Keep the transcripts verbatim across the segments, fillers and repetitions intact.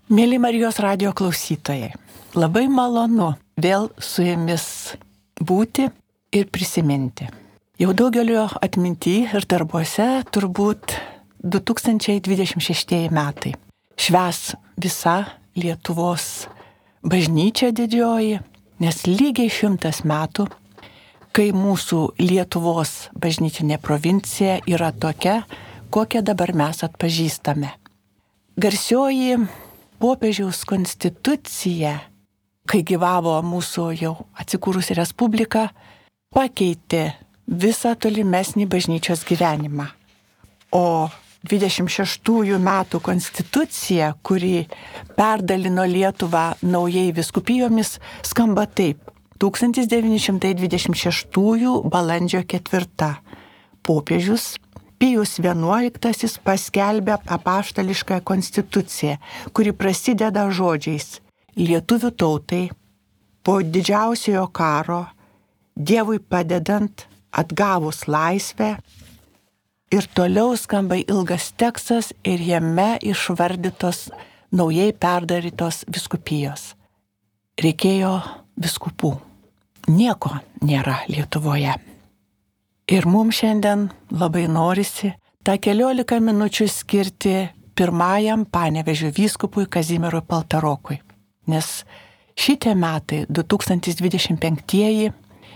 Mėly Marijos radijo klausytojai, labai malonu vėl su jumis būti ir prisiminti. Jau daugelio atminty ir darbuose turbūt du tūkstančiai dvidešimt šeši metai. Švęs visa Lietuvos bažnyčia didžioji, nes lygiai šimtas metų, kai mūsų Lietuvos bažnytinė provincija yra tokia, kokią dabar mes atpažįstame. Garsioji popiežiaus konstitucija, kai gyvavo mūsų jau atsikūrusi respublika, pakeitė visą tolimesnį bažnyčios gyvenimą. O dvidešimt šeštųjų metų konstitucija, kuri perdalino Lietuvą naujai vyskupijomis, skamba taip. tūkstantis devyni šimtai dvidešimt šeštųjų balandžio ketvirta. Popiežius Pijus vienuoliktasis paskelbė apaštališką konstituciją, kuri prasideda žodžiais: lietuvių tautai po didžiausiojo karo, Dievui padedant, atgavus laisvę. Ir toliau skamba ilgas tekstas ir jame išvardytos naujai perdarytos vyskupijos. Reikėjo vyskupų. Nieko nėra Lietuvoje. Ir mums šiandien labai norisi tą keliolika minučių skirti pirmajam Panevėžio vyskupui Kazimierui Paltarokui. Nes šitie metai, du tūkstančiai dvidešimt penktieji,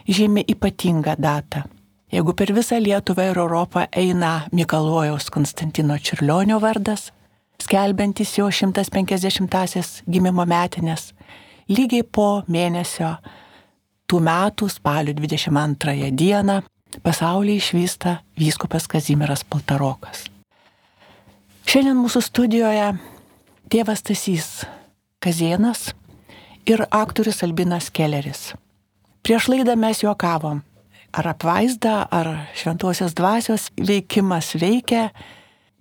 žymi ypatingą datą. Jeigu per visą Lietuvą ir Europą eina Mikalojaus Konstantino Čiurlionio vardas, skelbiantis jo šimtas penkiasdešimtąsias gimimo metinės, lygiai po mėnesio tų metų spalio dvidešimt antrąją dieną pasaulyje išvysta vyskupas Kazimieras Paltarokas. Šiandien mūsų studijoje tėvas Stasys Kazėnas ir aktorius Albinas Kelleris. Prieš laidą mes juokavom, ar apvaizda, ar šventosios dvasios veikimas veikia,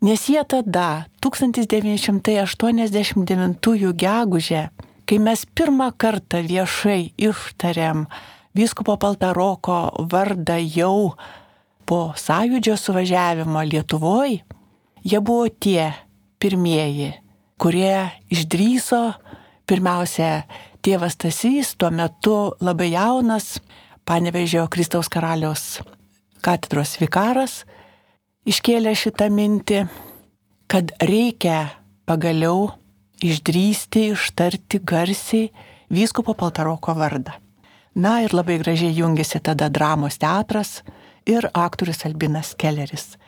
nes jie tada, tūkstantis devyni šimtai aštuoniasdešimt devintųjų gegužę, kai mes pirmą kartą viešai ištarėm vyskupo Paltaroko vardą jau po sąjūdžio suvažiavimo Lietuvoje, jie buvo tie pirmieji, kurie išdrįso, pirmiausia, tėvas Stasys, tuo metu labai jaunas, Panevėžio Kristaus karaliaus katedros vikaras, iškėlė šitą mintį, kad reikia pagaliau išdrįsti, ištarti garsiai vyskupo Paltaroko vardą. Na ir labai gražiai jungėsi tada dramos teatras ir aktorius Albinas Kelleris.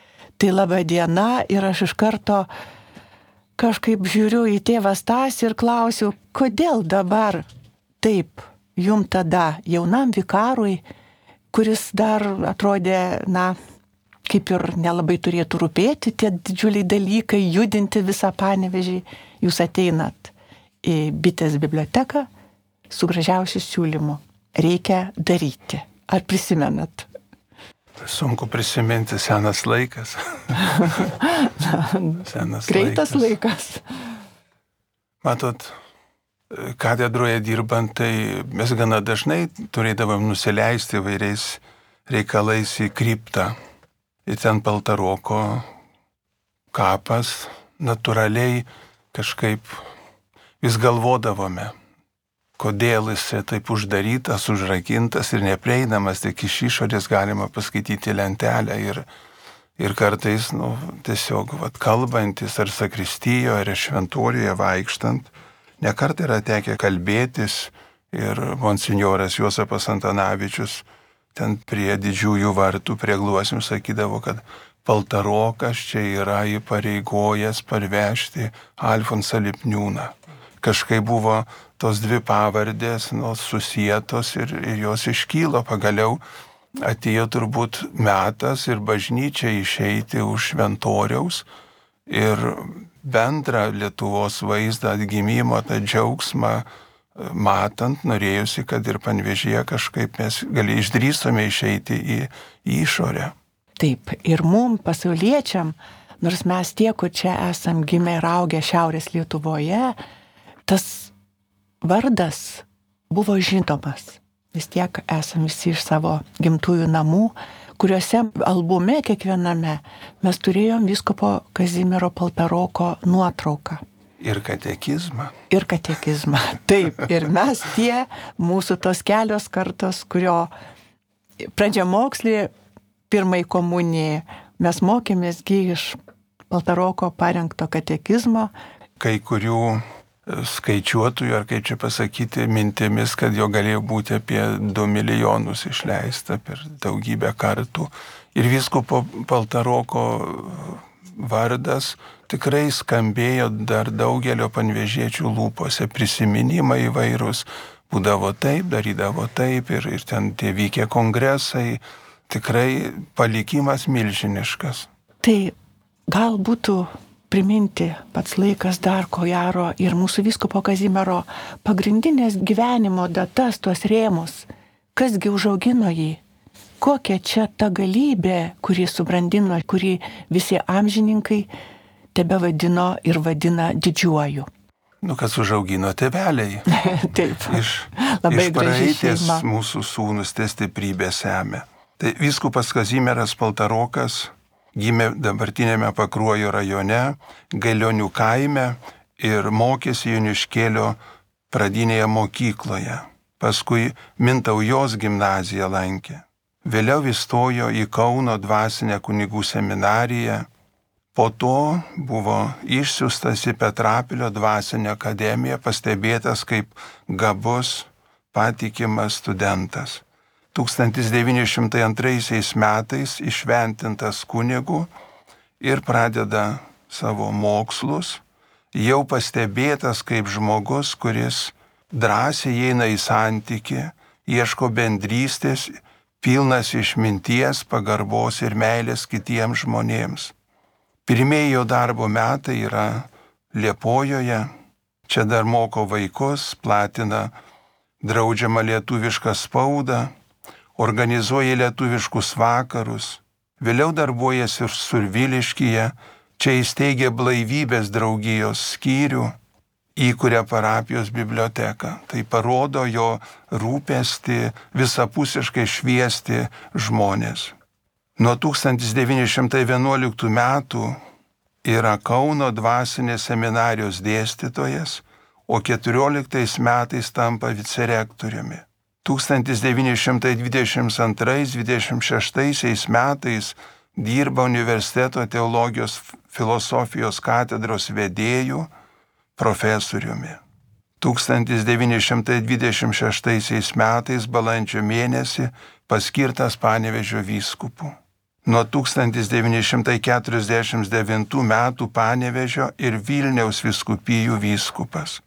Tai laba diena ir aš iš karto kažkaip žiūriu į tėvą Stasį ir klausiu, kodėl dabar taip jum tada jaunam vikarui, kuris dar atrodė, na, kaip ir nelabai turėtų rūpėti tie didžiuliai dalykai, judinti visą Panevėžį, jūs ateinat į Bitės biblioteką su gražiausiu siūlymu. Reikia daryti. Ar prisimenat? Sunku prisiminti, senas laikas. senas Greitas laikas. Matot, katedroje dirbant, tai mes gana dažnai turėdavom nusileisti vairiais reikalais į kriptą. Ir ten Paltaroko kapas, natūraliai kažkaip vis galvodavome, kodėl jis taip uždarytas, užrakintas ir neprieinamas, tik iš išorės galima paskaityti lentelę ir, ir kartais, nu, tiesiog vat, kalbantis ar sakristijoje, ar šventorijoje vaikštant, nekart yra tekę kalbėtis ir monsinjoras Juozapas Antanavičius ten prie didžiųjų vartų, prie gluosnių sakydavo, kad Paltarokas čia yra įpareigojęs parvežti Alfonsą Lipniūną. Kažkai buvo tos dvi pavardės, nu, susietos ir, ir jos iškylo. Pagaliau atėjo turbūt metas ir bažnyčia išeiti už šventoriaus ir bendrą Lietuvos vaizdą atgimimo, tą džiaugsmą matant, norėjusi, kad ir Panevėžyje kažkaip mes gali išdrįsome išeiti į, į išorę. Taip, ir mum pasauliečiam, nors mes tie, kur čia esam gimę ir augę Šiaurės Lietuvoje, tas vardas buvo žinomas. Vis tiek esam visi iš savo gimtųjų namų, kuriuose albume kiekviename mes turėjom vyskupo Kazimiero Paltaroko nuotrauką. Ir katekizmą. Ir katekizmą. Taip, ir mes tie, mūsų tos kelios kartos, kurio pradžiamokslį, pirmai komunijai, mes mokėmėsgi iš Paltaroko parengto katekizmo. Kai kurių skaičiuotojų, ar kaip čia pasakyti, mintimis, kad jo galėjo būti apie du milijonus išleista per daugybę kartų. Ir vyskupo Paltaroko vardas tikrai skambėjo dar daugelio panevėžiečių lūpose, prisiminimai įvairūs, būdavo taip, darydavo taip ir, ir ten tie vykę kongresai, tikrai palikimas milžiniškas. Tai gal būtų priminti pats laikas dar ko gero ir mūsų vyskupo Kazimiero pagrindinės gyvenimo datas, tuos rėmus, kasgi užaugino jį. Kokia čia ta galybė, kuri subrandino, kuri visi amžininkai tebe vadino ir vadina didžiuoju. Nu, kas užaugino tėveliai. Taip, iš, labai iš graži praeities šeima. mūsų sūnus tie stiprybė semia. Tai vyskupas Kazimieras Paltarokas gimė dabartinėme Pakruojo rajone, Gailionių kaime ir mokėsi Joniškėlio pradinėje mokykloje. Paskui Mintaujos gimnaziją lankė. Vėliau įstojo į Kauno dvasinę kunigų seminariją. Po to buvo išsiųstas į Petrapilio dvasinę akademiją, pastebėtas kaip gabus, patikimas studentas. tūkstantis devyni šimtai antraisiais metais išventintas kunigu ir pradeda savo mokslus, jau pastebėtas kaip žmogus, kuris drąsiai eina į santykį, ieško bendrystės, pilnas išminties, pagarbos ir meilės kitiems žmonėms. Pirmieji jo darbo metai yra Liepojoje, čia dar moko vaikus, platina draudžiamą lietuvišką spaudą, organizuoja lietuviškus vakarus, vėliau darbuojasi ir Surviliškyje, čia įsteigė Blaivybės draugijos skyrių, įkuria parapijos biblioteką. Tai parodo jo rūpestį visapusiškai šviesti žmonės. Nuo tūkstantis devyni šimtai vienuoliktų metų yra Kauno dvasinės seminarijos dėstytojas, o keturioliktais metais tampa vicerektoriumi. tūkstantis devyni šimtai dvidešimt antrais dvidešimt šeštais metais dirba universiteto teologijos filosofijos katedros vedėju, profesoriumi. tūkstantis devyni šimtai dvidešimt šeštais metais balandžio mėnesį paskirtas Panevėžio vyskupu. Nuo tūkstantis devyni šimtai keturiasdešimt devintų metų Panevėžio ir Vilniaus vyskupijų vyskupas.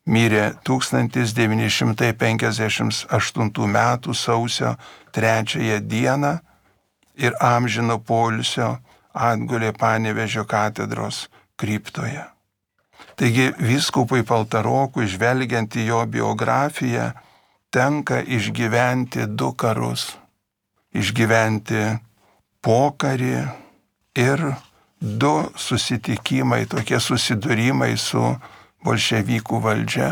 Mirė tūkstantis devyni šimtai penkiasdešimt aštuntų metų sausio trečiąją dieną ir amžino poilsio atgulė Panevėžio katedros kriptoje. Taigi vyskupui Paltarokui, žvelgiant į jo biografiją, tenka išgyventi du karus. Išgyventi pokarį ir du susitikimai, tokie susidūrimai su bolševikų valdžia,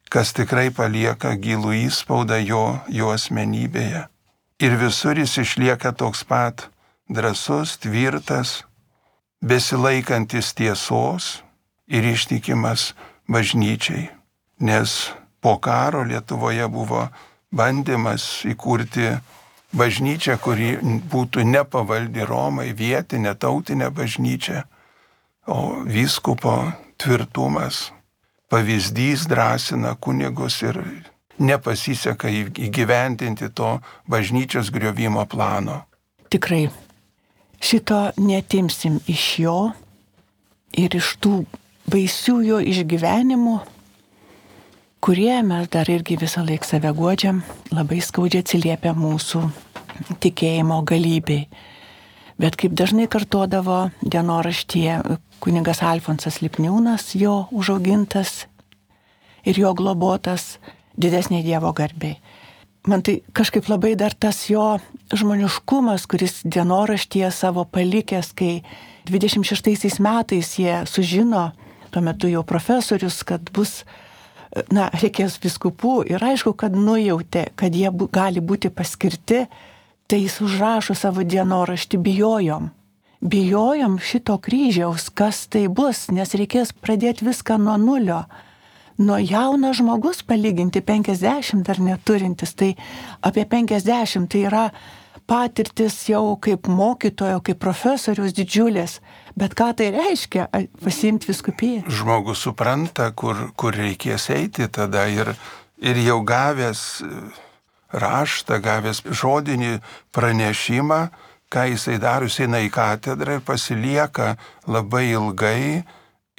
kas tikrai palieka gilų įspaudą jo, jo asmenybėje. Ir visur jis išlieka toks pat drąsus, tvirtas, besilaikantis tiesos ir ištikimas bažnyčiai, nes po karo Lietuvoje buvo bandymas įkurti bažnyčią, kuri būtų nepavaldi Romai, vietinė, tautinė bažnyčia, o vyskupo tvirtumas, pavyzdys drąsina kunigus ir nepasiseka įgyvendinti to bažnyčios griovimo plano. Tikrai, šito netimsim iš jo ir iš tų baisių jo išgyvenimų, kurie mes dar irgi visą laiką save guodžiam, labai skaudžiai atsiliepia mūsų tikėjimo galybei. Bet kaip dažnai kartodavo dienoraštyje kunigas Alfonsas Lipniūnas, jo užaugintas ir jo globotas didesnė Dievo garbei. Man tai kažkaip labai dar tas jo žmoniškumas, kuris dienoraštyje savo palikęs, kai dvidešimt šeštaisiais metais jie sužino, tuo metu jau profesorius, kad bus, na, reikės vyskupų ir aišku, kad nujautė, kad jie bu, gali būti paskirti, tai jis užrašo savo dienoraštį bijojom. bijojom šito kryžiaus, kas tai bus, nes reikės pradėti viską nuo nulio. Nuo jaunas žmogus palyginti penkiasdešimt dar neturintis, tai apie penkiasdešimt tai yra patirtis jau kaip mokytojo, kaip profesorius didžiulės. Bet ką tai reiškia pasiimti vyskupiją? Žmogus supranta, kur, kur reikės eiti tada ir, ir jau gavęs raštą, gavęs žodinį pranešimą, ką jisai daro, jisai eina į katedrą ir pasilieka labai ilgai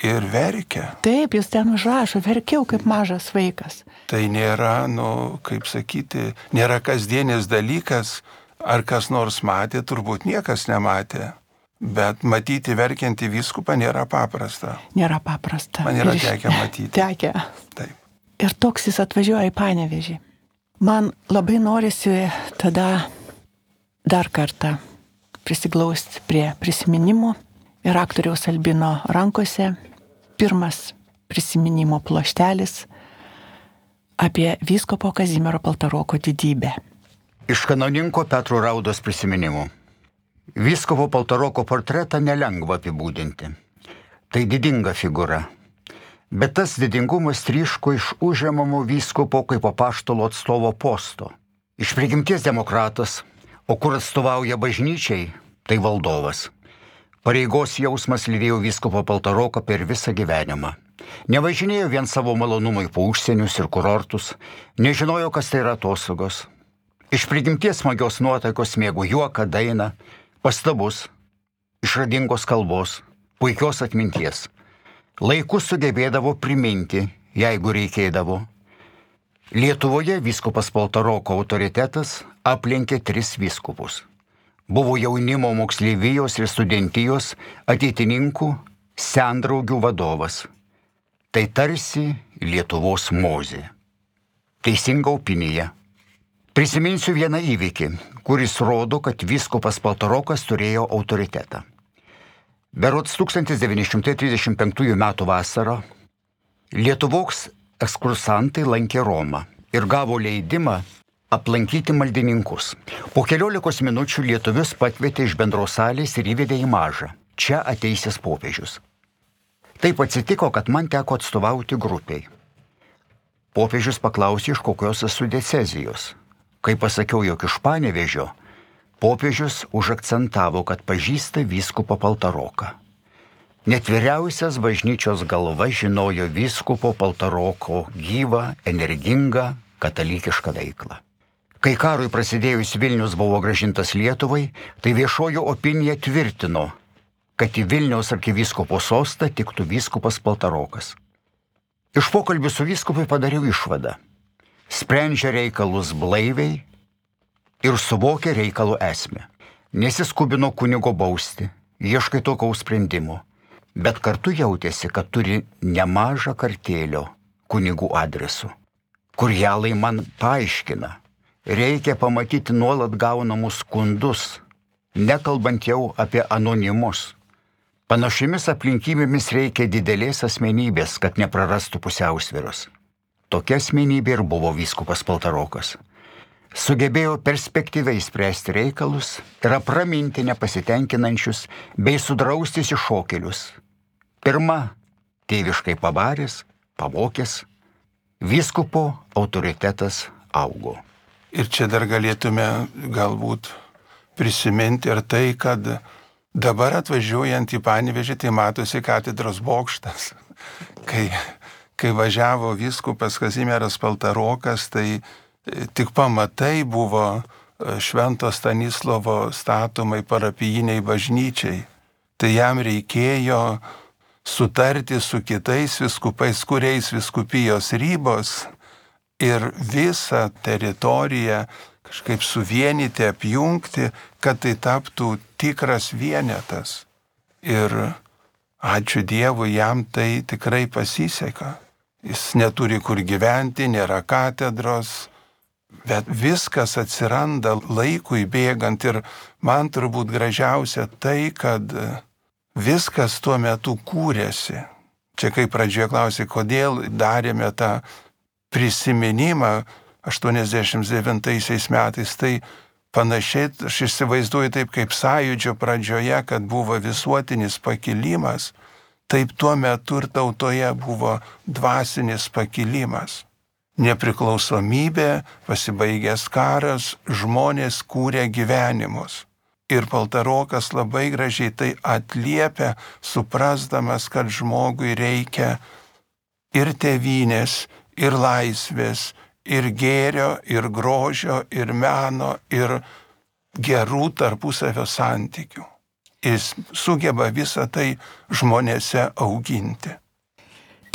ir verkia. Taip, jis ten užrašo, verkiau kaip mažas vaikas. Tai nėra, nu, kaip sakyti, nėra kasdienis dalykas, ar kas nors matė, turbūt niekas nematė. Bet matyti verkiantį vyskupą nėra paprasta. Nėra paprasta. Man yra Ir iš- tekę matyti. Tekę. Taip. Ir toks jis atvažiuoja į Panevėžį. Man labai norisi tada dar kartą prisiglausti prie prisiminimų ir aktoriaus Albino rankose pirmas prisiminimo ploštelis apie vyskupo Kazimiero Paltaroko didybę. Iš kanauninko Petro Raudos prisiminimų. Vyskupo Paltaroko portretą nelengva apibūdinti. Tai didinga figūra. Bet tas didingumas tryško iš užimamo vyskupo kaip apaštalo atstovo posto. Iš prigimties demokratas, o kur atstovauja bažnyčiai, tai valdovas. Pareigos jausmas lydėjo vyskupo Paltaroką per visą gyvenimą. Nevažinėjo vien savo malonumui po užsienius ir kurortus, nežinojo, kas tai yra atostogos. Iš prigimties smagios nuotaikos mėgo juoką, dainą, pastabus, išradingos kalbos, puikios atminties. Laiku sugebėdavo priminti, jeigu reikėdavo. Lietuvoje vyskupas Paltaroko autoritetas aplenkė tris vyskupus. Buvo jaunimo moksleivijos ir studentijos ateitininkų sendraugių vadovas. Tai tarsi Lietuvos Mozė. Teisinga opinija. Prisiminsiu vieną įvykį, kuris rodo, kad vyskupas Paltarokas turėjo autoritetą. Berods tūkstantis devyni šimtai trisdešimt penktųjų metų vasarą Lietuvos ekskursantai lankė Romą ir gavo leidimą aplankyti maldininkus. Po keliolikos minučių lietuvius pakvietė iš bendros salės ir įvedė į mažą. Čia ateisės popiežius. Taip atsitiko, kad man teko atstovauti grupiai. Popiežius paklausė, iš kokios esu diecezijos. Kai pasakiau, jog iš Panevėžio, popiežius užakcentavo, kad pažįsta vyskupą Paltaroką. Net vyriausias bažnyčios galva žinojo vyskupo Paltaroko gyvą, energingą, katalikišką veiklą. Kai karui prasidėjus Vilnius buvo grąžintas Lietuvai, tai viešojo opinija tvirtino, kad į Vilniaus arkivyskupo sostą tiktų vyskupas Paltarokas. Iš pokalbių su vyskupai padariau išvadą. Sprendžia reikalus blaiviai ir suvokia reikalų esmę. Nesiskubino kunigo bausti, ieškai tokiaus sprendimo, bet kartu jautėsi, kad turi nemažą kartėlio kunigų adresu. Kurjalai man paaiškina, reikia pamatyti nuolat gaunamus skundus, nekalbant jau apie anonimus. Panašiamis aplinkybėmis reikia didelės asmenybės, kad neprarastų pusiausvyros. Tokia asmenybė ir buvo vyskupas Paltarokas. Sugebėjo perspektyviai spręsti reikalus ir apraminti nepasitenkinančius bei sudrausti iššokėlius. Pirma, tėviškai pabaręs, pamokęs, vyskupo autoritetas augo. Ir čia dar galėtume galbūt prisiminti ir tai, kad dabar atvažiuojant į Panevėžį, tai matosi katedros bokštas. Kai, kai važiavo vyskupas Kazimieras Paltarokas, tai tik pamatai buvo Švento Stanislovo statomai parapijiniai bažnyčiai. Tai jam reikėjo sutarti su kitais vyskupais, kuriais vyskupijos ribos ir visą teritoriją kažkaip suvienyti, apjungti, kad tai taptų tikras vienetas. Ir ačiū Dievui, jam tai tikrai pasiseka. Jis neturi kur gyventi, nėra katedros, bet viskas atsiranda laikui bėgant ir man turbūt gražiausia tai, kad viskas tuo metu kūrėsi. Čia kaip pradžioje klausė, kodėl darėme tą prisiminimą aštuoniasdešimt devintaisiais metais, tai panašiai aš įsivaizduoju taip kaip sąjūdžio pradžioje, kad buvo visuotinis pakilimas, taip tuo metu ir tautoje buvo dvasinis pakilimas. Nepriklausomybė, pasibaigęs karas, žmonės kūrė gyvenimus. Ir Paltarokas labai gražiai tai atliepia, suprasdamas, kad žmogui reikia ir tėvynės, ir laisvės, ir gėrio, ir grožio, ir meno, ir gerų tarpusavio santykių. Jis sugeba visą tai žmonėse auginti.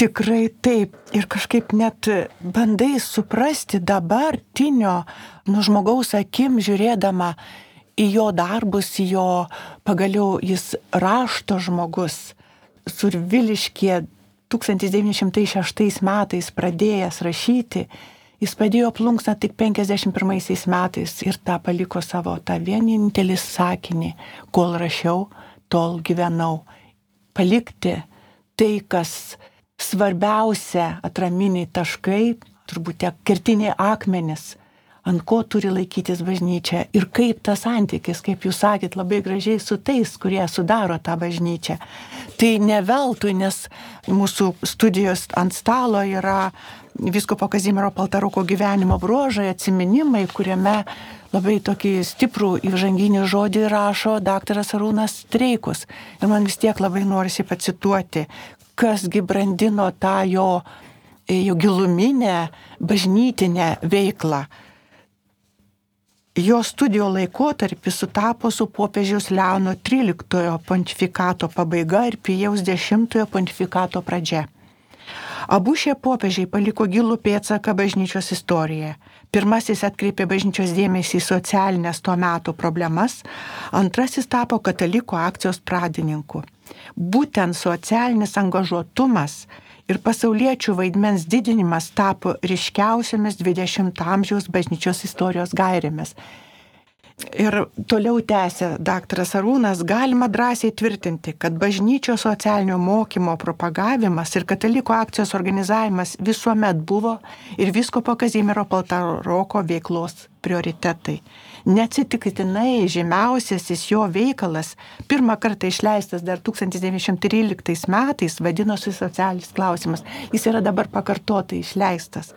Tikrai taip. Ir kažkaip net bandai suprasti dabartinio, nu žmogaus akim žiūrėdama į jo darbus, į jo, pagaliau jis rašto žmogus, Surviliškyje tūkstantis devyni šimtai šeštais metais pradėjęs rašyti, jis padėjo plunksną tik penkiasdešimt pirmaisiais metais ir tą paliko savo tą vienintelį sakinį, kol rašiau, tol gyvenau. Palikti tai, kas svarbiausia, atraminiai taškai, turbūt tie kertiniai akmenys, ant ko turi laikytis bažnyčia ir kaip tas santykis, kaip jūs sakėt, labai gražiai su tais, kurie sudaro tą bažnyčią. Tai ne veltui, nes mūsų studijos ant stalo yra vyskupo Kazimiero Paltaroko gyvenimo bruožai, atsiminimai, kuriame labai tokį stiprų įžanginį žodį rašo daktaras Arūnas Streikus. Ir man vis tiek labai norisi pacituoti, kasgi brandino tą jo, jo giluminę bažnytinę veiklą. Jo studijų laikotarpis sutapo su popiežiaus Leono tryliktojo pontifikato pabaiga ir Pijaus dešimtojo pontifikato pradžia. Abu šie popiežiai paliko gilų pėdsaką bažnyčios istorijoje. Pirmasis atkreipė bažnyčios dėmesį į socialinės to meto problemas, antrasis tapo katalikų akcijos pradininku. Būtent socialinis angažuotumas ir pasauliečių vaidmens didinimas tapo ryškiausiamis dvidešimto amžiaus bažnyčios istorijos gairėmis. Ir toliau tęsė daktaras Arūnas, galima drąsiai tvirtinti, kad bažnyčios socialinio mokymo propagavimas ir katalikų akcijos organizavimas visuomet buvo ir vyskupo Kazimiero Paltaroko veiklos prioritetai. Neatsitiktinai žymiausiasis jo veikalas, pirmą kartą išleistas dar tūkstantis devyni šimtai tryliktais metais, vadinosi Socialinis klausimas. Jis yra dabar pakartotai išleistas.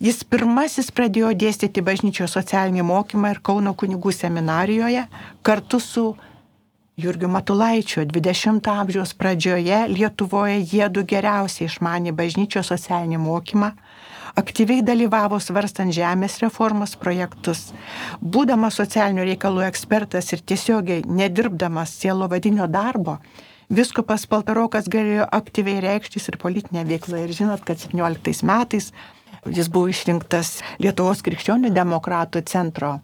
Jis pirmasis pradėjo dėstyti bažnyčios socialinį mokymą ir Kauno kunigų seminarijoje kartu su Jurgiu Matulaičiu. dvidešimto amžiaus pradžioje Lietuvoje jiedu geriausiai išmanė bažnyčios socialinį mokymą, aktyviai dalyvavo svarstant žemės reformos projektus. Būdamas socialinių reikalų ekspertas ir tiesiogiai nedirbdamas sielovadinio darbo, vyskupas Paltarokas galėjo aktyviai reikštis ir politinė veikla. Ir žinot, kad septynioliktais metais jis buvo išrinktas Lietuvos krikščionių demokratų centro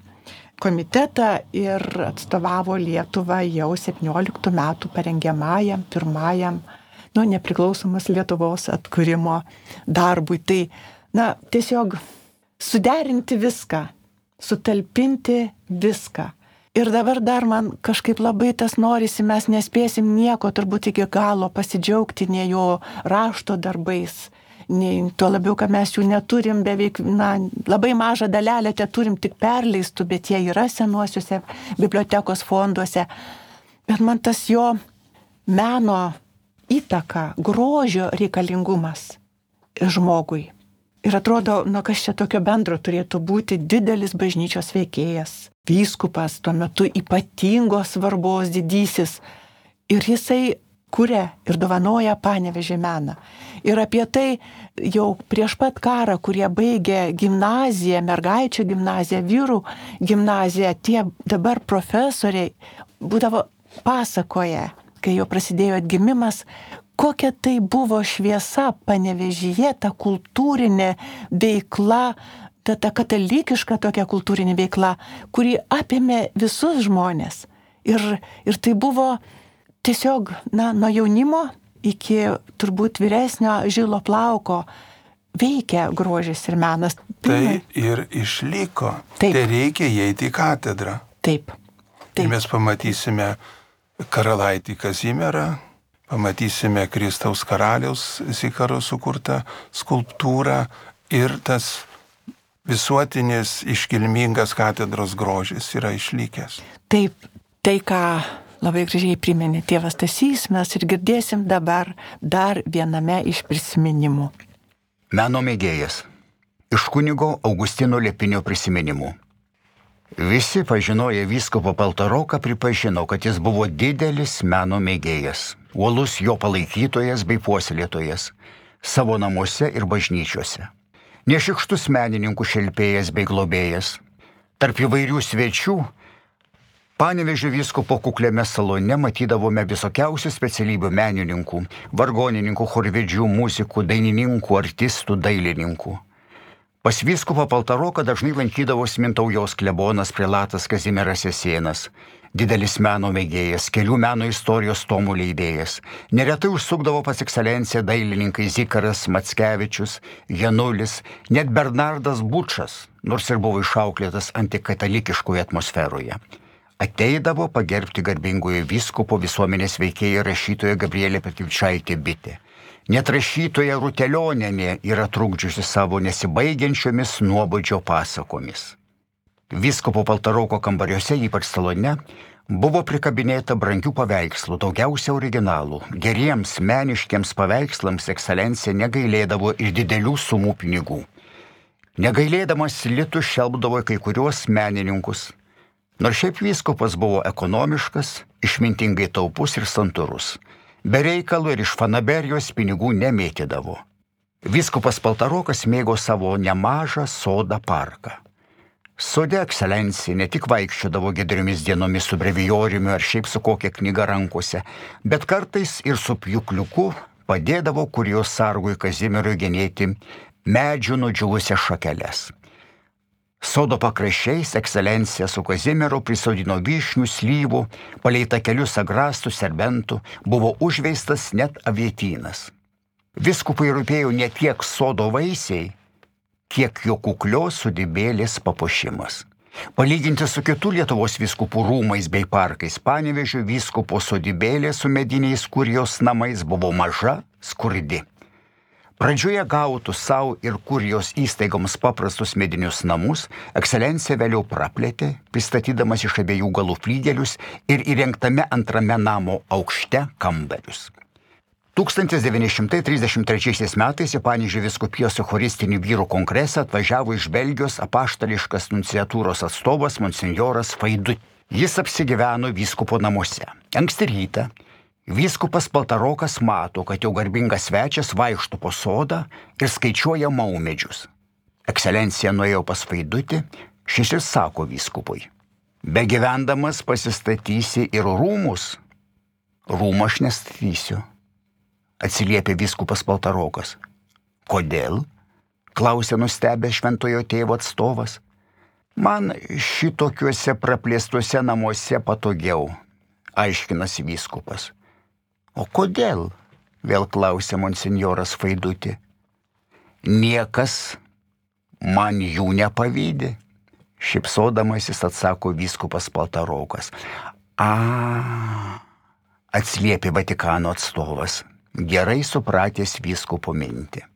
komitetą ir atstovavo Lietuvą jau septynioliktų metų parengiamajam, pirmajam, nu, nepriklausomas Lietuvos atkūrimo darbui. Tai, na, tiesiog suderinti viską, sutalpinti viską. Ir dabar dar man kažkaip labai tas norisi, mes nespėsim nieko turbūt iki galo pasidžiaugti nei jo rašto darbais, nei tuo labiau, kad mes jų neturim beveik, na, labai mažą dalelę te turim tik perleistų, bet jie yra senuosiuose bibliotekos fonduose. Bet man tas jo meno įtaka, grožio reikalingumas žmogui. Ir atrodo, nu kas čia tokio bendro turėtų būti didelis bažnyčios veikėjas, vyskupas, tuo metu ypatingos svarbos didysis. Ir jisai kuria ir dovanoja Panevėžio meną. Ir apie tai jau prieš pat karą, kurie baigė gimnaziją, mergaičių gimnaziją, vyrų gimnaziją, tie dabar profesoriai būdavo pasakoja, kai jau prasidėjo atgimimas, kokia tai buvo šviesa Panevėžyje, ta kultūrinė veikla, ta, ta katalikiška tokia kultūrinė veikla, kuri apėmė visus žmonės. Ir, ir tai buvo tiesiog, na, nuo jaunimo iki turbūt vyresnio žilo plauko veikia grožis ir menas. Tai ir išliko. Taip. Tai reikia įeiti į katedrą. Taip. Taip. Ir mes pamatysime karalaitį Kazimierą, pamatysime Kristaus karaliaus Zikaro sukurtą skulptūrą ir tas visuotinis iškilmingas katedros grožis yra išlikęs. Taip, tai ką labai gražiai priminė tėvas Stasys, mes ir girdėsim dabar dar viename iš prisiminimų. Meno mėgėjas. Iš kunigo Augustino Liepinio prisiminimų. Visi pažinoję vyskupo Paltaroką pripažino, kad jis buvo didelis meno mėgėjas, uolus jo palaikytojas bei puoselėtojas, savo namuose ir bažnyčiose. Nešikštus menininkų šelpėjas bei globėjas. Tarp įvairių svečių Panevėžio vyskupo kukliame salone matydavome visokiausių specialybių menininkų, vargonininkų, chorvedžių, muzikų, dainininkų, artistų, dailininkų. Pas vyskupą Paltaroką dažnai lankydavosi Mintaujos klebonas prelatas Kazimieras Jasėnas, didelis meno mėgėjas, kelių meno istorijos tomų leidėjas. Neretai užsukdavo pas ekscelenciją dailininkai Zikaras Mackevičius, Janulis, net Bernardas Bučas, nors ir buvo išauklėtas antikatalikiškoje atmosferoje. Ateidavo pagerbti garbingojo vyskupo visuomenės veikėją rašytoją Gabrielę Petkevičaitę Bitę. Net rašytoja Rutelionenė yra trukdžiusi savo nesibaigiančiomis nuobodžio pasakomis. Vyskupo Paltaroko kambariuose, ypač salone, buvo prikabinėta brangių paveikslų, daugiausia originalų. Geriems meniškiams paveikslams ekscelencija negailėdavo ir didelių sumų pinigų. Negailėdamas litų šelpdavo kai kuriuos menininkus. Nors šiaip vyskupas buvo ekonomiškas, išmintingai taupus ir santūrus. Be reikalų ir iš fanaberijos pinigų nemėtydavo. Vyskupas Paltarokas mėgo savo nemažą sodą parką. Sode ekscelencija ne tik vaikščiodavo giedriomis dienomis su brevijoriumi ar šiaip su kokia knyga rankose, bet kartais ir su pjūkliuku padėdavo kurijos sargui Kazimierui genėti medžių nudžiūvusias šakeles. Sodo pakraščiais ekscelencija su Kazimieru prisodino vyšnių, slyvų, palei takelius agrastų, serbentų, buvo užveistas net avietynas. Vyskupui rūpėjo ne tiek sodo vaisiai, kiek jo kuklios sodybėlės papuošimas. Palyginti su kitų Lietuvos vyskupų rūmais bei parkais, Panevėžio vyskupo sodybėlė su mediniais kurijos namais buvo maža, skurdi. Pradžioje gautų savo ir kurijos įstaigoms paprastus medinius namus, ekscelencija vėliau praplėtė, pristatydamas iš abiejų galų flygelius ir įrengtame antrame namo aukšte kambarius. tūkstantis devyni šimtai trisdešimt trečiaisiais metais į Panevėžio vyskupijos eucharistinių vyrų kongresą atvažiavo iš Belgijos apaštališkas nunciatūros atstovas monsinjoras Faidut. Jis apsigyveno vyskupo namuose. Anksti rytą vyskupas Paltarokas mato, kad jau garbingas svečias vaikšto po sodą ir skaičiuoja maumedžius. Ekscelencija nuėjo pas Faidutį, šis ir sako vyskupui: begyvendamas pasistatysi ir rūmus. Rūmų aš nestatysiu, atsiliepė vyskupas Paltarokas. Kodėl? Klausė nustebęs šventojo tėvo atstovas. Man šitokiuose praplėstuose namuose patogiau, aiškinasi vyskupas. O kodėl? Vėl klausė monsinjoras Faidutį. Niekas man jų nepavydi, šypsodamasis atsako vyskupas Paltarokas. A, atsiliepė Vatikano atstovas, gerai supratęs vyskupo mintį.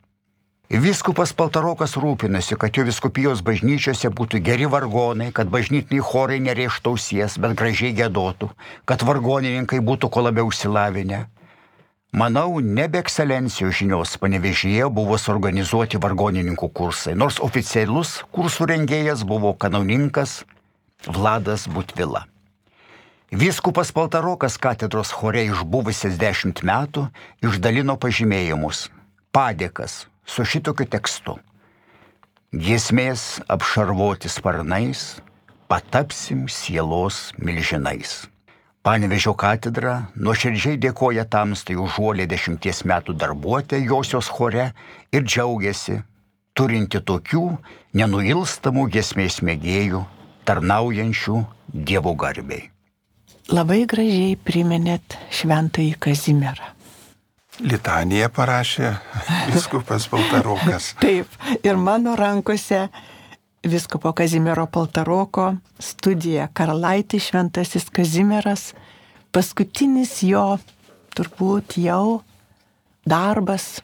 Vyskupas Paltarokas rūpinosi, kad jo vyskupijos bažnyčiose būtų geri vargonai, kad bažnytiniai chorai nerėžtų ausies, bet gražiai giedotų, kad vargonininkai būtų kuo labiau išsilavinę. Manau, ne be ekscelencijos žinios Panevėžyje buvo suorganizuoti vargonininkų kursai, nors oficialus kursų rengėjas buvo kanauninkas Vladas Butvila. Vyskupas Paltarokas katedros chore išbuvusias dešimt metų išdalino pažymėjimus, padėkas su šitokiu tekstu. Giesmės apšarvoti sparnais, patapsim sielos milžinais. Panevėžio katedra nuoširdžiai dėkoja tamstai už uolę dešimties metų darbuotę josios chore ir džiaugiasi, turinti tokių nenuilstamų giesmės mėgėjų, tarnaujančių Dievo garbei. Labai gražiai priminėt šventąjį Kazimierą. Litaniją parašė vyskupas Paltarokas. Taip, ir mano rankose vyskupo Kazimiero Paltaroko studija Karalaitis šventasis Kazimieras, paskutinis jo turbūt jau darbas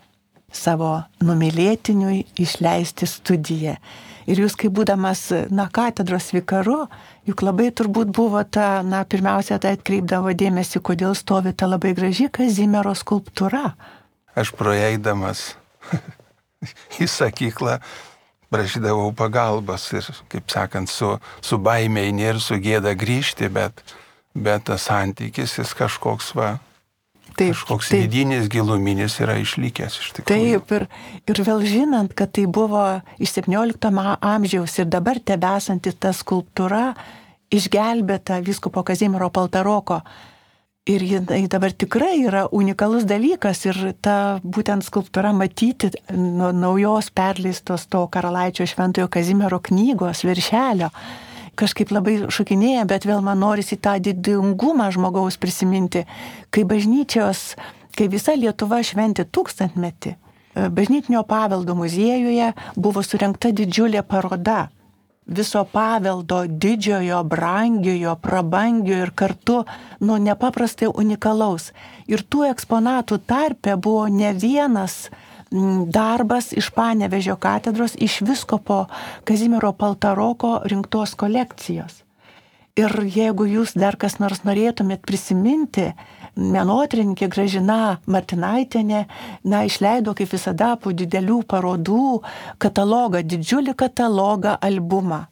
savo numylėtiniui išleisti studiją. Ir jūs, kaip būdamas, na, katedros vikaru, juk labai turbūt buvo ta, na, pirmiausia, tai atkreipdavo dėmesį, kodėl stovi ta labai graži Kazimiero skulptūra. Aš praeidamas į sakyklą prašydavau pagalbos ir, kaip sakant, su, su baime eini ir su gėda grįžti, bet, bet tas santykis jis kažkoks va, taip, kažkoks taip. Vidinis, giluminis yra išlikęs iš tikrųjų. Taip, ir, ir vėl žinant, kad tai buvo iš septyniolikto amžiaus ir dabar tebesanti ta skulptūra išgelbėta vyskupo Kazimiero Paltaroko. Ir jinai dabar tikrai yra unikalus dalykas ir ta būtent skulptūra matyti nuo naujos perleistos to karalaičio Šventojo Kazimiero knygos viršelio. Kažkaip labai šokinėja, bet vėl man norisi tą didingumą žmogaus prisiminti, kai bažnyčios, kai visa Lietuva šventė tūkstantmetį, bažnytinio paveldo muziejuje buvo surengta didžiulė paroda. Viso paveldo didžiojo, brangiojo, prabangiojo ir kartu, nu, nepaprastai unikalaus. Ir tų eksponatų tarpe buvo ne vienas darbas iš Panevėžio katedros, iš vyskupo Kazimiero Paltaroko rinktos kolekcijos. Ir jeigu jūs dar kas nors norėtumėt prisiminti, menotyrininkė Gražina Martinaitienė, na, išleido kaip visada po didelių parodų katalogą, didžiulį katalogą, albumą.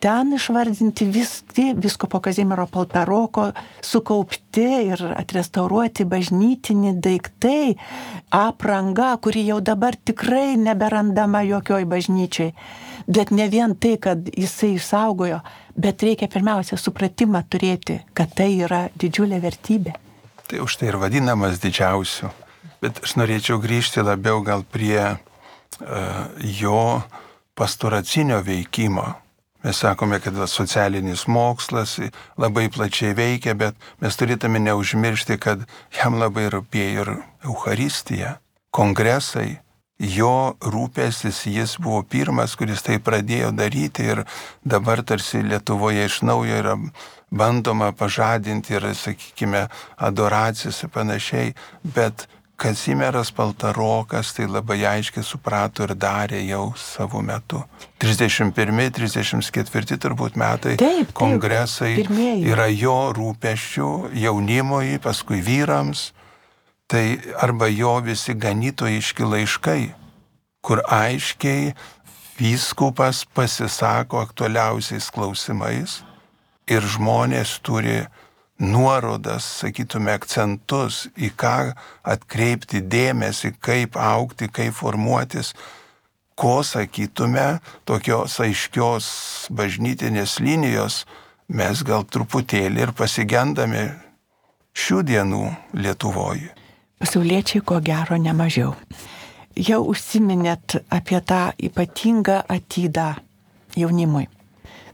Ten išvardinti visi vyskupo Kazimiero Paltaroko sukaupti ir atrestauruoti bažnytiniai daiktai, apranga, kuri jau dabar tikrai neberandama jokioj bažnyčiai. Bet ne vien tai, kad jisai išsaugojo, bet reikia pirmiausia supratimą turėti, kad tai yra didžiulė vertybė. Tai už tai ir vadinamas didžiausiu. Bet aš norėčiau grįžti labiau gal prie uh, jo pastoracinio veikimo. Mes sakome, kad socialinis mokslas labai plačiai veikia, bet mes turėtume neužmiršti, kad jam labai rūpėjo ir Eucharistija, kongresai. Jo rūpestis, jis buvo pirmas, kuris tai pradėjo daryti ir dabar tarsi Lietuvoje iš naujo yra bandoma pažadinti ir, sakykime, adoracijas ir panašiai, bet Kazimieras Paltarokas tai labai aiškiai suprato ir darė jau savo metu. trisdešimt pirmi trisdešimt ketvirti turbūt metai taip, taip, kongresai pirmieji. Yra jo rūpesčių jaunimui, paskui vyrams. Tai arba jo visi ganytojiški laiškai, kur aiškiai vyskupas pasisako aktualiausiais klausimais ir žmonės turi nuorodas, sakytume, akcentus, į ką atkreipti dėmesį, kaip augti, kaip formuotis, ko, sakytume, tokios aiškios bažnytinės linijos mes gal truputėlį ir pasigendame šių dienų Lietuvoje. Pasauliečiai ko gero nemažiau. Jau užsiminėt apie tą ypatingą atydą jaunimui.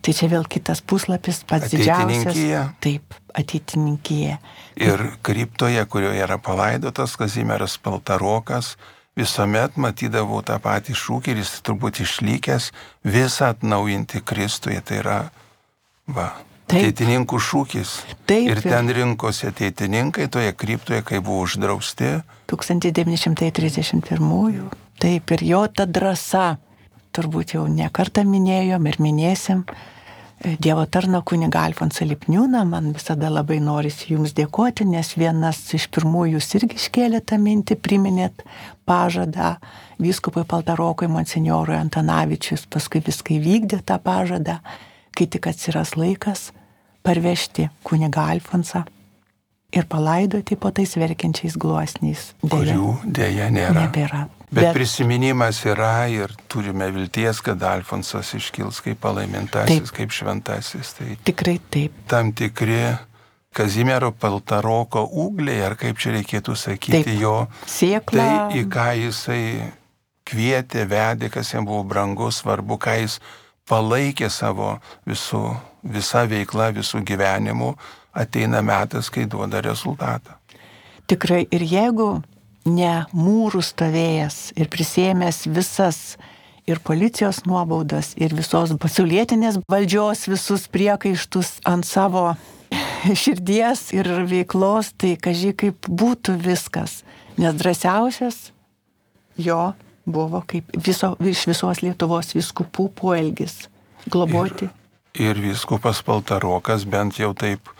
Tai čia vėl kitas puslapis, pats didžiausias. Taip, ateitininkija. Ir kriptoje, kurioje yra palaidotas Kazimieras Paltarokas, visuomet matydavau tą patį šūkį ir jis turbūt išlikęs visą atnaujinti Kristuje. Tai yra, va, ateitininkų šūkis. Taip, ir ten rinkosi ateitininkai toje kriptoje, kai buvo uždrausti. tūkstantis devyni šimtai trisdešimt pirmųjų. Taip, ir jo ta drąsa, turbūt jau ne kartą minėjom ir minėsim, Dievo tarno kunigą Alfonsą Lipniūną, man visada labai norisi jums dėkoti, nes vienas iš pirmųjų jūs irgi iškėlė tą mintį, priminėt pažadą vyskupui Paltarokui, monsinjorui Antanavičius, paskui viską įvykdė tą pažadą, kai tik atsiras laikas parvežti kunigą Alfonsą ir palaidoti po tais verkiančiais gluosniais. Kurių dėja nėra. Nebėra. Bet, Bet prisiminimas yra ir turime vilties, kad Alfonsas iškils kaip palaimintasis, taip, kaip šventasis. Tai tikrai taip. Tam tikri Kazimiero Paltaroko ūgliai, ar kaip čia reikėtų sakyti, taip, jo siekla. Tai, į ką jisai kvietė, vedė, kas jam buvo brangu, svarbu, ką jis palaikė savo visų, visą veiklą, visų gyvenimų, ateina metas, kai duoda rezultatą. Tikrai, ir jeigu ne mūrų stovėjęs ir prisėmęs visas ir policijos nuobaudas, ir visos pasaulietinės valdžios visus priekaištus ant savo širdies ir veiklos, tai kaži kaip būtų viskas. Nes drąsiausias jo buvo kaip viso, iš visos Lietuvos vyskupų poelgis globoti. Ir, ir vyskupas Paltarokas bent jau taip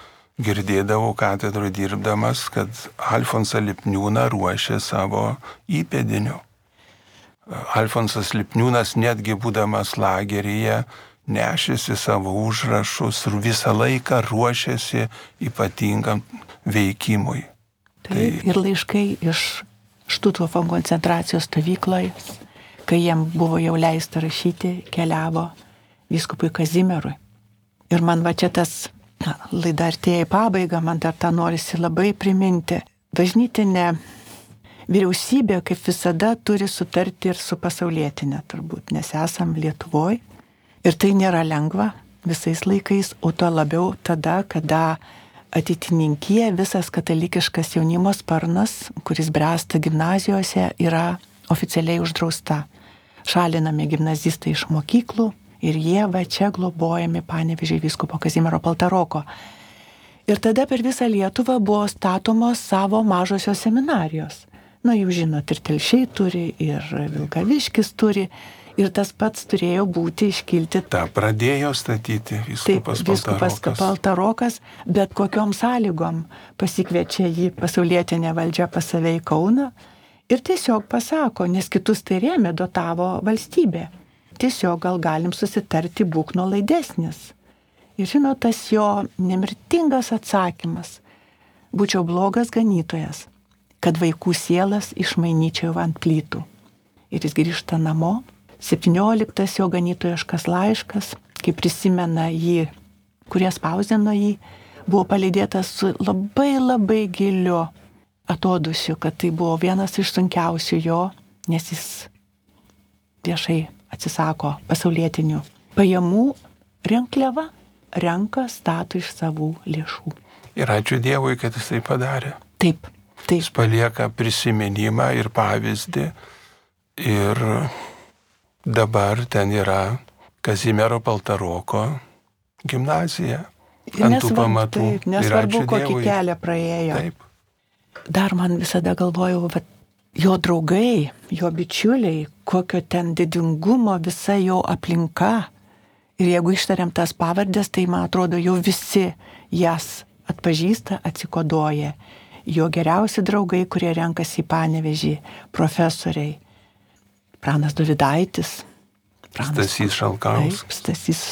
girdėdavo katedroje dirbdamas, kad Alfonsą Lipniūną ruošė savo įpėdiniu. Alfonsas Lipniūnas netgi būdamas lageryje nešėsi savo užrašus ir visą laiką ruošėsi ypatingam veikimui. Taip, tai... Ir laiškai iš Štuthofo koncentracijos stovykloje, kai jiem buvo jau leista rašyti, keliavo vyskupui Kazimierui. Ir man va čia tas na, laida artėja į pabaigą, man dar tą norisi labai priminti. Bažnytinė vyriausybė, kaip visada, turi sutarti ir su pasaulietinė turbūt, nes esam Lietuvoje. Ir tai nėra lengva visais laikais, o to labiau tada, kada ateitininkija, visas katalikiškas jaunimo sparnas, kuris bręsta gimnazijose, yra oficialiai uždrausta. Šalinami gimnazistai iš mokyklų ir jie va čia globojami Panevėžio vyskupo Kazimiero Paltaroko. Ir tada per visą Lietuvą buvo statomos savo mažosios seminarijos. Na, jūs žinot, ir Telšiai turi, ir Vilkaviškis turi. Ir tas pats turėjo būti iškilti. Ta pradėjo statyti vyskupas Paltarokas. Vyskupas Paltarokas, bet kokiom sąlygom pasikviečia jį pasaulietinė valdžia pas save į Kauną ir tiesiog pasako, nes kitus tai rėmė, dotavo valstybė. Tiesiog gal galim susitarti, būk nuolaidesnis. Ir žinot, tas jo nemirtingas atsakymas. Būčiau blogas ganytojas, kad vaikų sielas išmainyčiau ant plytų. Ir jis grįžta namo. septynioliktas jo ganytojiškas laiškas, kai prisimena jį, kurie spausdino jį, buvo palydėtas su labai labai giliu atodusiu, kad tai buvo vienas iš sunkiausių jo, nes jis viešai atsisako pasaulietinių pajamų, rinkliavą renka, stato iš savų lėšų. Ir ačiū Dievui, kad jis tai padarė. Taip, taip. Jis palieka prisiminimą ir pavyzdį ir dabar ten yra Kazimiero Paltaroko gimnazija. Ant tų pamatų. Taip, nesvarbu, kokį kelią praėjo. Taip. Dar man visada galvojau, va, jo draugai, jo bičiuliai, kokio ten didingumo visa jo aplinka. Ir jeigu ištariam tas pavardės, tai man atrodo, jau visi jas atpažįsta, atsikoduoja. Jo geriausi draugai, kurie renkasi į Panevėžį, profesoriai. Pranas Dovydaitis, Pranas Stasys Šalkauskis. Taip, Stasys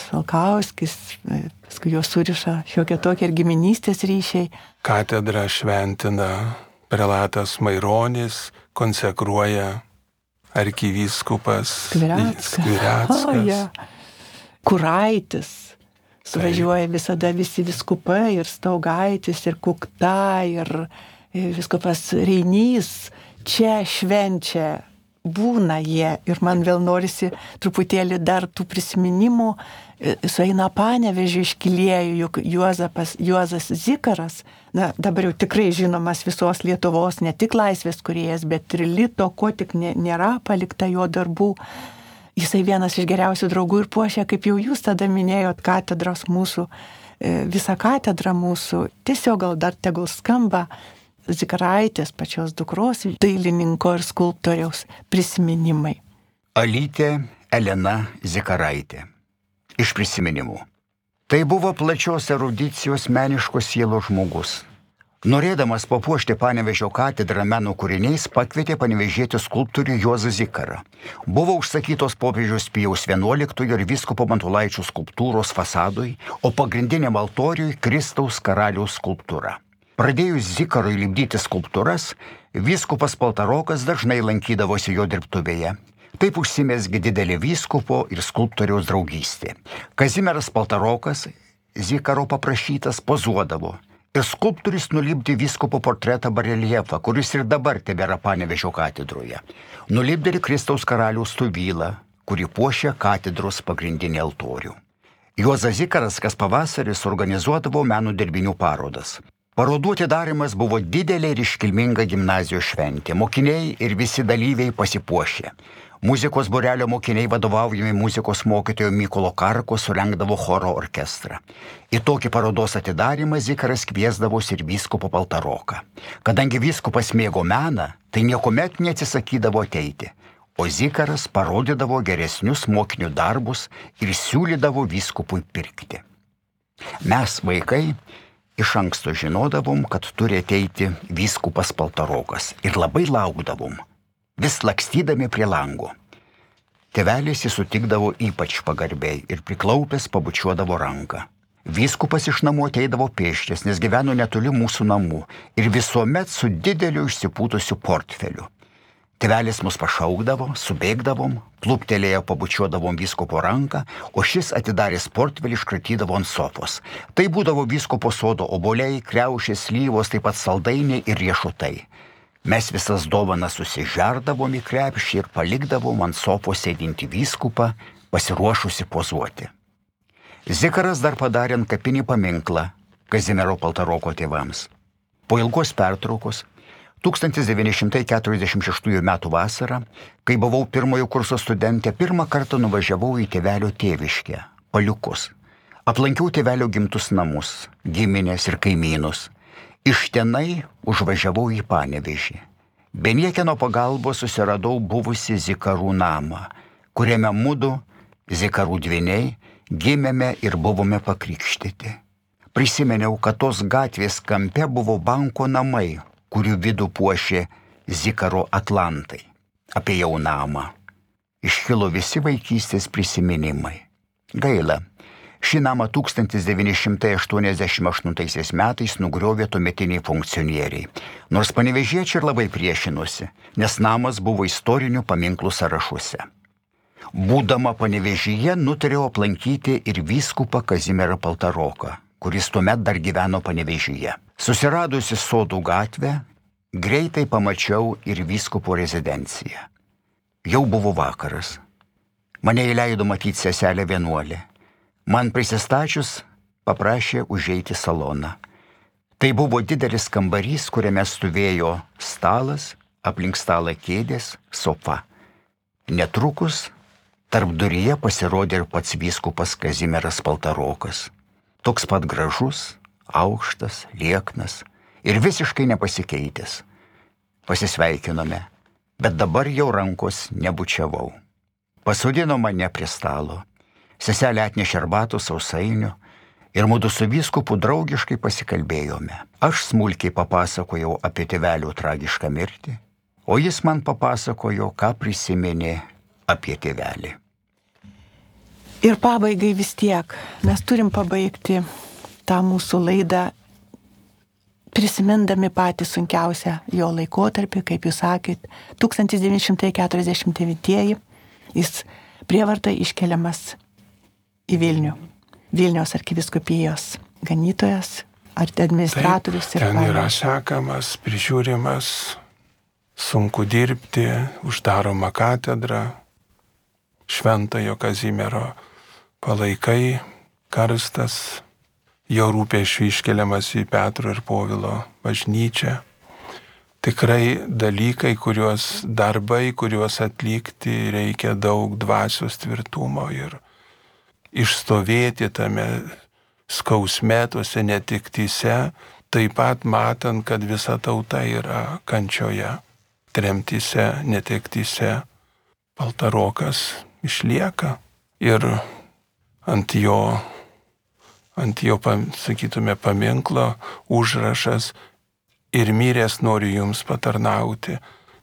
Šalkauskis, paskui jo suriša šiokie tokie ir giminystės ryšiai. Katedrą šventina prelatas Maironis, konsekruoja arkivyskupas Skvireckas. Oh, yeah. Kuraitis. Suvažiuoja visada visi vyskupai ir Staugaitis, ir Kukta, ir vyskupas Reinys. Čia švenčia. Būna jie ir man vėl norisi truputėlį dar tų prisiminimų. Sueina Panevėžio iškilėjų, juk Juozapas, Juozas Zikaras, na dabar jau tikrai žinomas visos Lietuvos, ne tik laisvės kūrėjas, bet ir lito, ko tik nėra palikta jo darbų. Jisai vienas iš geriausių draugų ir puošia, kaip jau jūs tada minėjot, katedros mūsų, visą katedrą mūsų. Tiesiog gal dar tegul skamba Zikaraitės, pačios dukros, dailininko ir skulptoriaus prisiminimai. Alytė Elena Zikaraitė. Iš prisiminimų. Tai buvo plačios erudicijos meniškos sielos žmogus. Norėdamas papuošti Panevėžio katedrą meno kūriniais, pakvietė panevėžietį skulptorių Juozą Zikarą. Buvo užsakytos popiežiaus Pijaus vienuoliktojo ir vyskupo Matulaičio skulptūros fasadui, o pagrindiniam altoriui Kristaus karaliaus skulptūra. Pradėjus Zikarui lipdyti skulptūras, vyskupas Paltarokas dažnai lankydavosi jo dirbtuvėje. Taip užsimezgė didelė vyskupo ir skulptoriaus draugystė. Kazimieras Paltarokas Zikaro paprašytas pozuodavo ir skulptorius nulipdė vyskupo portretą bareljefą, kuris ir dabar tebėra Panevėžio katedroje. Nulipdė ir Kristaus karaliaus stubylą, kuri puošia katedros pagrindinį altorių. Juozas Zikaras kas pavasarį suorganizuodavo meno dirbinių parodas. Parodų atidarimas buvo didelė ir iškilminga gimnazijos šventė. Mokiniai ir visi dalyviai pasipuošė. Muzikos būrelio mokiniai vadovaujami muzikos mokytojo Mykolo Karko surengdavo choro orkestrą. Į tokį parodos atidarymą Zikaras kviesdavosi ir vyskupo Paltaroką. Kadangi vyskupas mėgo meną, tai niekuomet neatsisakydavo ateiti, o Zikaras parodydavo geresnius mokinių darbus ir siūlydavo vyskupui pirkti. Mes, vaikai, iš anksto žinodavom, kad turi ateiti vyskupas Paltarokas ir labai laukdavom, vis lakstydami prie lango. Tėvelis jį sutikdavo ypač pagarbiai ir priklaupęs pabučiuodavo ranką. Vyskupas iš namų ateidavo pėsčias, nes gyveno netoli mūsų namų ir visuomet su dideliu išsipūtusiu portfeliu. Tėvelis mus pašaukdavo, subėgdavom, plūptelėję pabučiuodavom vyskupo ranką, o šis atidaręs portfelį iškratydavo ant sofos. Tai būdavo vyskupo sodo obuoliai, kriaušės, slyvos, taip pat saldainiai ir riešutai. Mes visas dovanas susižerdavom į krepšį ir palikdavom ant sofos sėdinti vyskupą, pasiruošusi pozuoti. Zikaras dar padarė ant kapinį paminklą Kazimiero Paltaroko tėvams. Po ilgos pertraukos, tūkstantis devyni šimtai keturiasdešimt šeštųjų metų vasarą, kai buvau pirmojo kurso studentė, pirmą kartą nuvažiavau į tėvelio tėviškę, Paliukus. Aplankiau tėvelio gimtus namus, giminės ir kaimynus. Iš tenai užvažiavau į Panevėžį. Be niekieno pagalbos susiradau buvusi Zikarų namą, kuriame mudu, Zikarų dvyniai, gimėme ir buvome pakrikštyti. Prisimeniau, kad tos gatvės kampe buvo banko namai, kurių vidų puošė Zikaro atlantai. Apėjau namą. Iškilo visi vaikystės prisiminimai. Gaila. Šį namą tūkstantis devyni šimtai aštuoniasdešimt aštuntaisiais metais nugriovė tuometiniai funkcionieriai. Nors panevėžiečiai ir labai priešinosi, nes namas buvo istorinių paminklų sąrašuose. Būdama Panevėžyje, nutariau aplankyti ir vyskupą Kazimierą Paltaroką, kuris tuomet dar gyveno Panevėžyje. Susiradusi Sodų gatvę, greitai pamačiau ir vyskupo rezidenciją. Jau buvo vakaras. Mane įleido matyti seselę vienuolę. Man prisistačius paprašė užeiti saloną. Tai buvo didelis kambarys, kuriame stovėjo stalas, aplink stalą kėdės, sofa. Netrukus tarp duryje pasirodė ir pats vyskupas Kazimieras Paltarokas. Toks pat gražus, aukštas, lieknas ir visiškai nepasikeitęs. Pasisveikinome, bet dabar jau rankos nebučiavau. Pasodino mane prie stalo. Seselė atnešė arbatos, sausainių ir mudu su vyskupu draugiškai pasikalbėjome. Aš smulkiai papasakojau apie tėvelio tragišką mirtį, o jis man papasakojo, ką prisiminė apie tėvelį. Ir pabaigai vis tiek mes turim pabaigti tą mūsų laidą prisimindami patį sunkiausią jo laikotarpį, kaip jūs sakėt, tūkstantis devyni šimtai keturiasdešimt devintieji jis prievarta iškeliamas į Vilnių. Vilniaus arkivyskupijos ganytojas, administratorius. Taip, ten yra sekamas, prižiūrimas, sunku dirbti, uždaroma katedra, Šventojo Kazimiero palaikai, karstas, jo rūpesčių iškeliamas į Petro ir Povilo bažnyčią. Tikrai dalykai, kuriuos darbai, kuriuos atlikti reikia daug dvasios tvirtumo ir išstovėti tame skausme, tose netiktyse, taip pat matant, kad visa tauta yra kančioje, tremtyse, netiktyse. Paltarokas išlieka ir ant jo, ant jo, sakytume, paminklo užrašas ir miręs noriu jums patarnauti.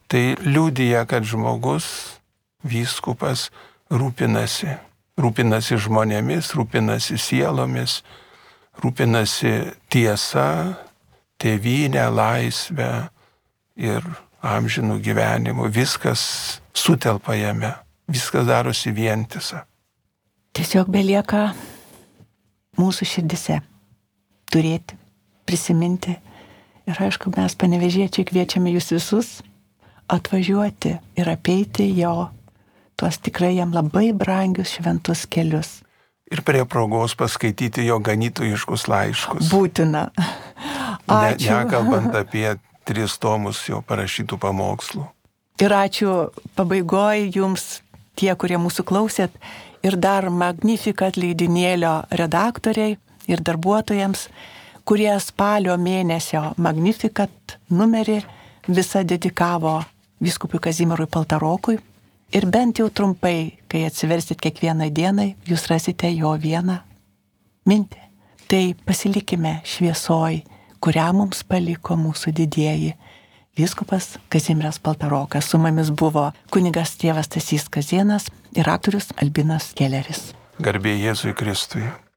Tai liudija, kad žmogus, vyskupas, rūpinasi. Rūpinasi žmonėmis, rūpinasi sielomis, rūpinasi tiesa, tėvynę, laisvę ir amžinų gyvenimų. Viskas sutelpa jame, viskas darosi vientisa. Tiesiog belieka mūsų širdise turėti, prisiminti. Ir aišku, mes panevėžiečiai kviečiame jūs visus atvažiuoti ir apeiti jo tuos tikrai jam labai brangius šventus kelius. Ir prie progos paskaityti jo ganytojiškus laiškus. Būtina. Ačiū. Ne, nekalbant apie tris tomus jo parašytų pamokslų. Ir ačiū pabaigoje jums, tie, kurie mūsų klausėt, ir dar Magnificat leidinėlio redaktoriai ir darbuotojams, kurie spalio mėnesio Magnificat numerį visą dedikavo vyskupui Kazimierui Paltarokui. Ir bent jau trumpai, kai atsiversit kiekvieną dieną, jūs rasite jo vieną mintį. Tai pasilikime šviesoj, kurią mums paliko mūsų didieji vyskupas Kazimieras Paltarokas. Su mumis buvo kunigas tėvas Stasys Kazėnas ir aktorius Albinas Kelleris. Garbė Jėzui Kristui.